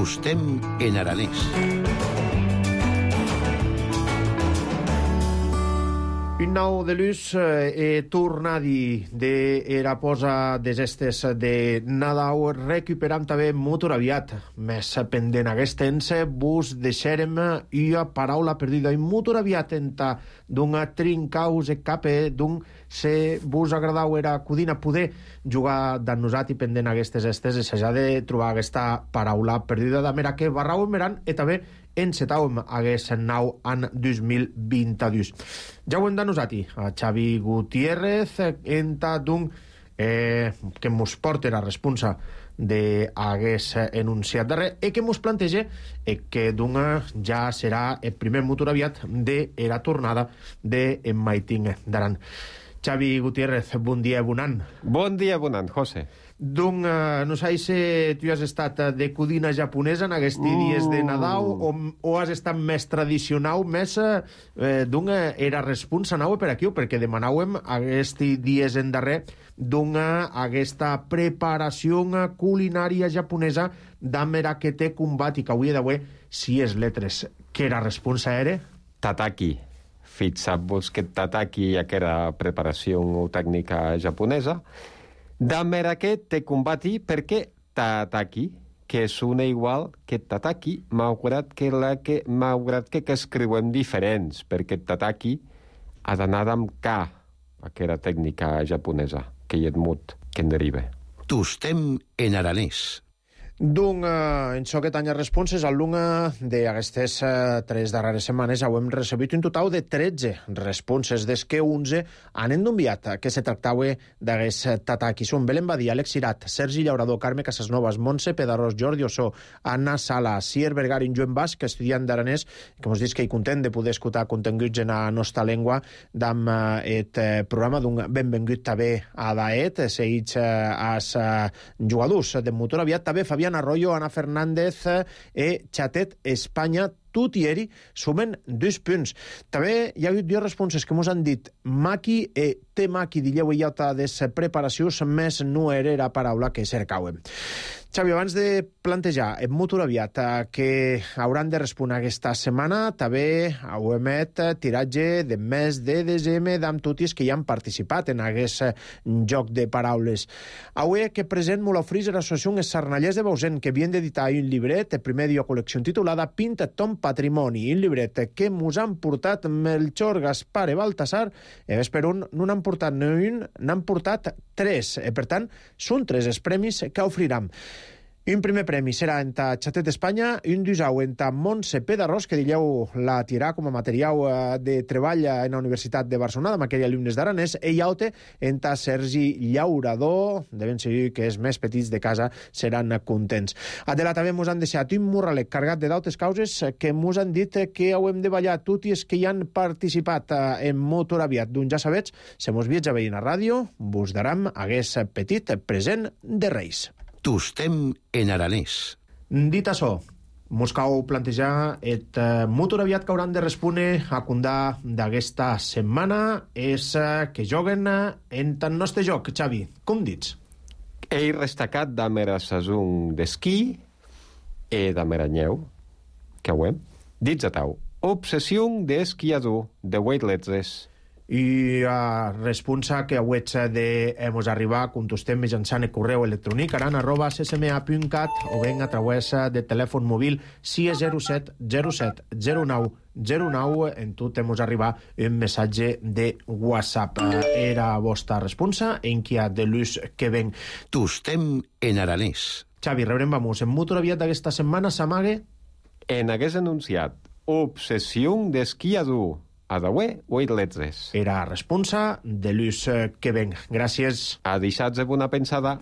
Tostem en aranès. Un nou de luz tornadi de era posa des estes de Nadal recuperam també molt aviat. Més pendent aquest temps vos deixarem una paraula perdida i molt aviat enta d'un trincaus e cape d'un se vos agradau era codina poder jugar dan nosat i pendent aquestes estes i s'ha de trobar aquesta paraula perdida de mera que barrau en meran i també encetàvem hagués nou en 2022. Ja ho hem de nosati, a Xavi Gutiérrez, enta d'un que mos porta la responsa de hagués enunciat darrer i que mos planteja que d'un ja serà el primer motor aviat de la tornada de en Maiting d'Aran. Xavi Gutiérrez, bon dia, bon any. Bon dia, bon any, José. Donc, no sé si tu has estat de codina japonesa en aquests dies de Nadal o has estat més tradicional, més era responsa nau per aquí, perquè demanàvem aquests dies en darrer aquesta preparació culinària japonesa d'amera que té combat i que avui d'avui si és letres. Què era responsa era? Tataki. Fixar-vos que tataki ja que era preparació tècnica japonesa. D'amera que te combati perquè tataki, que sona igual que tataki, malgrat que escriuem diferents, perquè tataki ha d'anar amb K, aquella tècnica japonesa, que hi ha mut, que en deriva. Tostem en aranès. Donc, en això que tanya responses, al lunga d'aquestes 3 darreres setmanes hem recebut un total de 13 responses, des que 11 han enviat que se tractava d'aquest tataki. Són Belén Badia, Àlex Cirat, Sergi Llaurador, Carme Casasnovas, Montse Pedarós, Jordi Ossó, Anna Sala, Sier Vergarin, Joan Basc, estudiant d'aranès, que ens dius que hi content de poder escoltar continguts en la nostra llengua d'am et programa d'un benvingut també a daet, seguits als jugadors de motor aviat, també Fabián Arroyo, Ana Fernández e Chatet Espanya, tot i eri sumen 2 punts. També hi ha hagut 2 responses que mos han dit maqui e temaki, dilleu i alta des preparacions, més no era la paraula que cercàvem. Xavi, abans de plantejar en molt aviat que hauran de respondre aquesta setmana, també ho emet tiratge de mes de desembre d'amb totis que hi han participat en aquest joc de paraules. Avui que present molt ofrís l'associació Sarnallers de Bausen, que havien d'editar un llibret, el primer dia col·lecció titulada Pinta ton patrimoni, un llibret que mos han portat Melchor, Gaspar i Baltasar, i per un no n'han portat ni un, n'han portat 3. Per tant, són 3 els premis que ofriram. Un primer premi serà en Chatet Espanya, un d'usau en Montse Pedarós, que dilleu la tirà com a material de treball en la Universitat de Barcelona, amb aquells alumnes d'aranès, i altre en Sergi Llaurador, de ben segur que els més petits de casa seran contents. Adela també mos han deixat un murralet carregat de d'altres causes que mos han dit que hem de ballar tots els que hi han participat en motor aviat. Doncs ja sabets, se mos viatja veient a ràdio, vos daram aquest petit present de Reis. Tostem en aranès. Dit això, mos cal plantejar el motor aviat que hauran de respondre a condar d'aquesta setmana és que joguen en el nostre joc, Xavi. Com dits? He destacat d'amera saison d'esquí e d'amera nyeu, que ho hem. Dits a tau. Obsessió d'esquiador de weightlessness. I responsa que avui de hemos arribar contestem mitjançant el correu electrònic aran@ccma.cat o ben a través de telèfon mòbil 607 07 09 09. En tot hemos arribar un missatge de WhatsApp. Era vostra responsa en qui ha de l'ús que ven. Tostem en aranès. Xavi, rebrem vamos en motor aviat d'aquesta setmana s'amague En hagués anunciat obsessió d'esquiador a Adaué o weightlessness. Era responsa de l'ús que ven. Gràcies. A deixats de bona pensada.